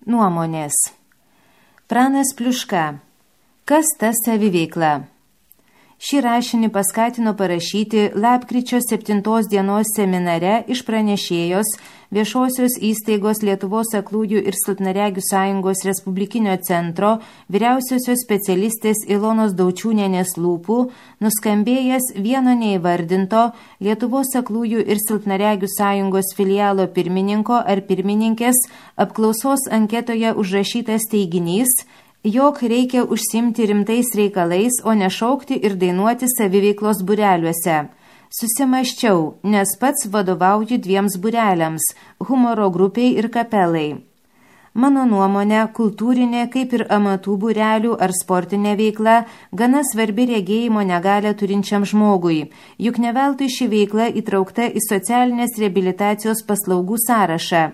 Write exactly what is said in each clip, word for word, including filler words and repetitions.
Nuomonės. Pranas Pliuška. Kas ta saviveikla? Šį rašinį paskatino parašyti lapkričio septintos dienos seminare iš pranešėjos viešosios įstaigos Lietuvos aklųjų ir silpnaregių sąjungos Respublikinio centro vyriausiosios specialistės Ilonos Daučiūnienės lūpų nuskambėjęs vieno neįvardinto Lietuvos aklųjų ir silpnaregių sąjungos filialo pirmininko ar pirmininkės apklausos anketoje užrašytas teiginys, jog reikia užsimti rimtais reikalais, o ne šaukti ir dainuoti saviveiklos būreliuose. Susimaščiau, nes pats vadovauju dviems būreliams – humoro grupiai ir kapelai. Mano nuomonė, kultūrinė, kaip ir amatų būrelių ar sportinė veikla, gana svarbi regėjimo negalią turinčiam žmogui, juk ne veltui ši veikla įtraukta į socialinės reabilitacijos paslaugų sąrašą.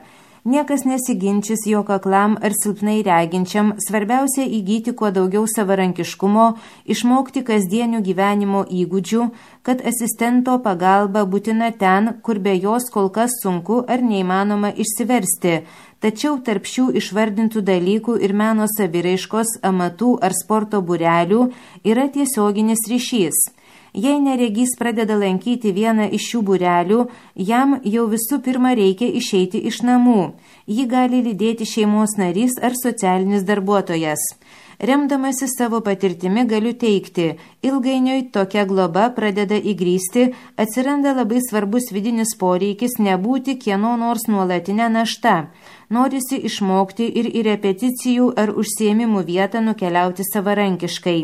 Niekas nesiginčys, jog aklam ar silpnai reginčiam svarbiausia įgyti kuo daugiau savarankiškumo, išmokti kasdienių gyvenimo įgūdžių, kad asistento pagalba būtina ten, kur be jos kol kas sunku ar neįmanoma išsiversti, tačiau tarp šių išvardintų dalykų ir meno saviraiškos, amatų ar sporto būrelių yra tiesioginis ryšys. Jei neregys pradeda lankyti vieną iš šių būrelių, jam jau visų pirma reikia išeiti iš namų. Jį gali lydėti šeimos narys ar socialinis darbuotojas. Remdamasi savo patirtimi galiu teikti, ilgainiui tokia globa pradeda įgrysti, atsiranda labai svarbus vidinis poreikis nebūti kieno nors nuolatinę naštą. Norisi išmokti ir į repeticijų ar užsiėmimų vietą nukeliauti savarankiškai.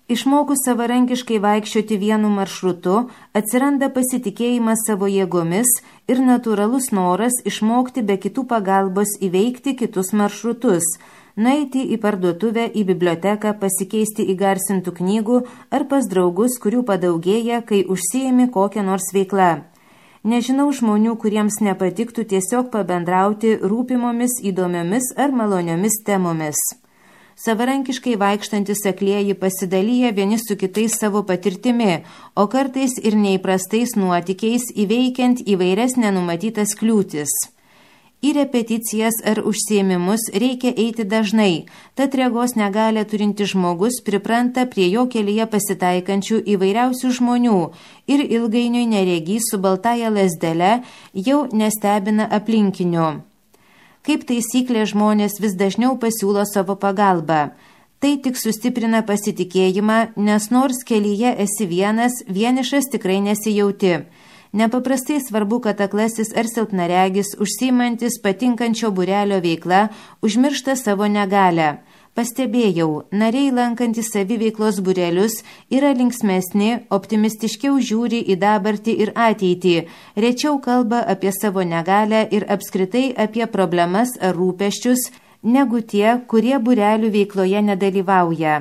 Išmokus savarankiškai vaikščioti vienu maršrutu, atsiranda pasitikėjimas savo jėgomis ir natūralus noras išmokti be kitų pagalbos įveikti kitus maršrutus, nueiti į parduotuvę, į biblioteką, pasikeisti įgarsintų knygų ar pas draugus, kurių padaugėja, kai užsiimi kokią nors veiklą. Nežinau žmonių, kuriems nepatiktų tiesiog pabendrauti rūpimomis, įdomiomis ar maloniomis temomis. Savarankiškai vaikštantis aklieji pasidalyja vieni su kitais savo patirtimi, o kartais ir neįprastais nuotykiais įveikiant įvairias nenumatytas kliūtis. Į repeticijas ar užsiėmimus reikia eiti dažnai, tad regos negalę turinti žmogus pripranta prie jo kelyje pasitaikančių įvairiausių žmonių ir ilgainiui neregys su baltaja lazdele jau nestebina aplinkinių. Kaip taisyklė, žmonės vis dažniau pasiūlo savo pagalbą. Tai tik sustiprina pasitikėjimą, nes nors kelyje esi vienas, vienišas tikrai nesijauti. Nepaprastai svarbu, kad aklasis ar silpnaregis, užsiimantis patinkančio būrelio veikla, užmiršta savo negalę. Pastebėjau, nariai lankantys saviveiklos būrelius yra linksmesni, optimistiškiau žiūri į dabartį ir ateitį, rečiau kalba apie savo negalę ir apskritai apie problemas ar rūpesčius, negu tie, kurie būrelių veikloje nedalyvauja.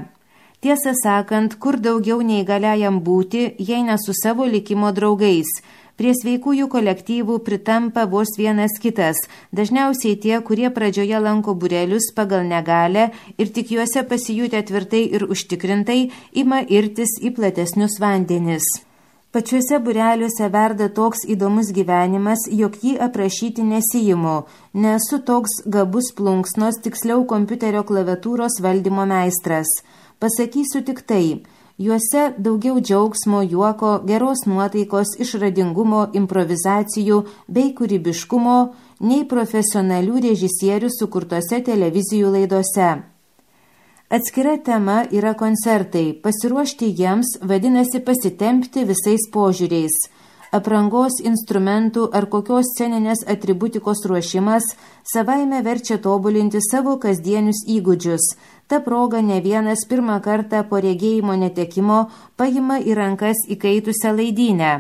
Tiesą sakant, kur daugiau neįgaliajam būti, jei ne su savo likimo draugais. Prie sveikųjų kolektyvų pritampa vos vienas kitas, dažniausiai tie, kurie pradžioje lanko būrelius pagal negalę ir tik juose pasijutę tvirtai ir užtikrintai ima irtis į platesnius vandenis. Pačiuose būreliuose verda toks įdomus gyvenimas, jog jį aprašyti nesiimu, nesu toks gabus plunksnos, tiksliau kompiuterio klaviatūros valdymo meistras. Pasakysiu tik tai. Juose daugiau džiaugsmo, juoko, geros nuotaikos, išradingumo, improvizacijų bei kūrybiškumo nei profesionalių režisierių sukurtose televizijų laidose. Atskira tema yra koncertai. Pasiruošti jiems vadinasi pasitempti visais požiūriais. Aprangos, instrumentų ar kokios sceninės atributikos ruošimas savaime verčia tobulinti savo kasdienius įgūdžius. Ta proga ne vienas pirmą kartą po regėjimo netekimo paima į rankas įkaitusią laidynę.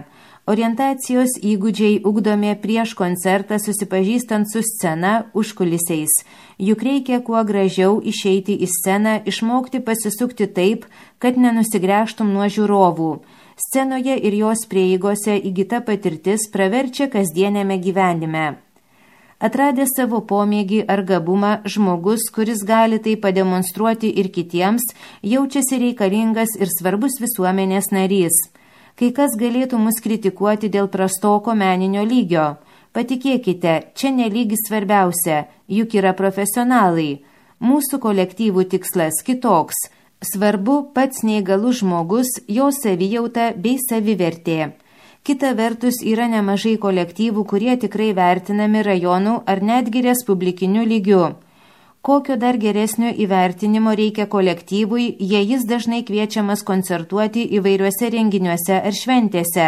Orientacijos įgūdžiai ugdomi prieš koncertą susipažįstant su scena užkulisiais. Juk reikia kuo gražiau išeiti į sceną, išmokti pasisukti taip, kad nenusigręžtum nuo žiūrovų. Scenoje ir jos prieigose įgyta patirtis praverčia kasdienėme gyvenime. Atradęs savo pomėgį ar gabumą, žmogus, kuris gali tai pademonstruoti ir kitiems, jaučiasi reikalingas ir svarbus visuomenės narys. Kai kas galėtų mus kritikuoti dėl prastoko meninio lygio. Patikėkite, čia nelygis svarbiausia, juk yra profesionalai. Mūsų kolektyvų tikslas kitoks. Svarbu pats neįgalus žmogus, jo savijauta bei savivertė. Kita vertus yra nemažai kolektyvų, kurie tikrai vertinami rajonų ar netgi respublikiniu lygiu. Kokio dar geresnio įvertinimo reikia kolektyvui, jei jis dažnai kviečiamas koncertuoti įvairiuose renginiuose ar šventėse.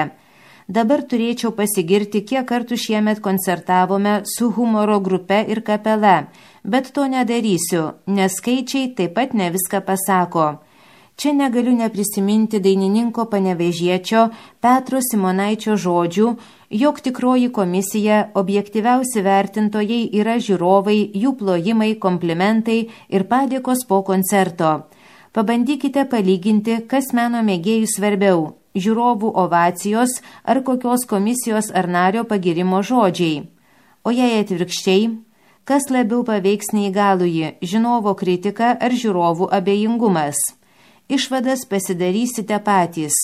Dabar turėčiau pasigirti, kiek kartų šiemet koncertavome su humoro grupe ir kapela, bet to nedarysiu, nes skaičiai taip pat ne viską pasako. Čia negaliu neprisiminti dainininko panevėžiečio Petro Simonaičio žodžių, jog tikroji komisija, objektyviausi vertintojai yra žiūrovai, jų plojimai, komplimentai ir padėkos po koncerto. Pabandykite palyginti, kas meno mėgėjų svarbiau – žiūrovų ovacijos ar kokios komisijos ar nario pagirimo žodžiai. O jei atvirkščiai, kas labiau paveiks neįgalųjį – žiūrovo kritika ar žiūrovų abejingumas? Išvadas pasidarysite patys.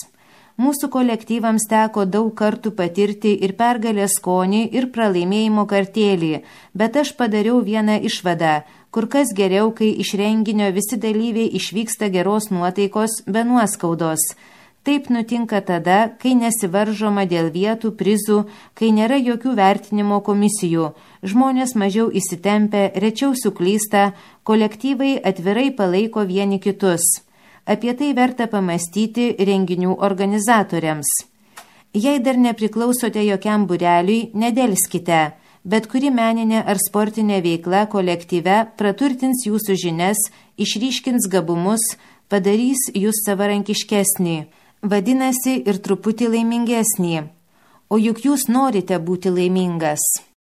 Mūsų kolektyvams teko daug kartų patirti ir pergalės skonį, ir pralaimėjimo kartėlį, bet aš padariau vieną išvadą, kur kas geriau, kai iš renginio visi dalyviai išvyksta geros nuotaikos be nuoskaudos. Taip nutinka tada, kai nesivaržoma dėl vietų, prizų, kai nėra jokių vertinimo komisijų, žmonės mažiau įsitempia, rečiau suklysta, kolektyvai atvirai palaiko vieni kitus. Apie tai verta pamastyti renginių organizatoriams. Jei dar nepriklausote jokiam būreliui, nedelskite, bet kuri meninė ar sportinė veikla kolektyve praturtins jūsų žinias, išryškins gabumus, padarys jūs savarankiškesnį, vadinasi ir truputį laimingesnį. O juk jūs norite būti laimingas.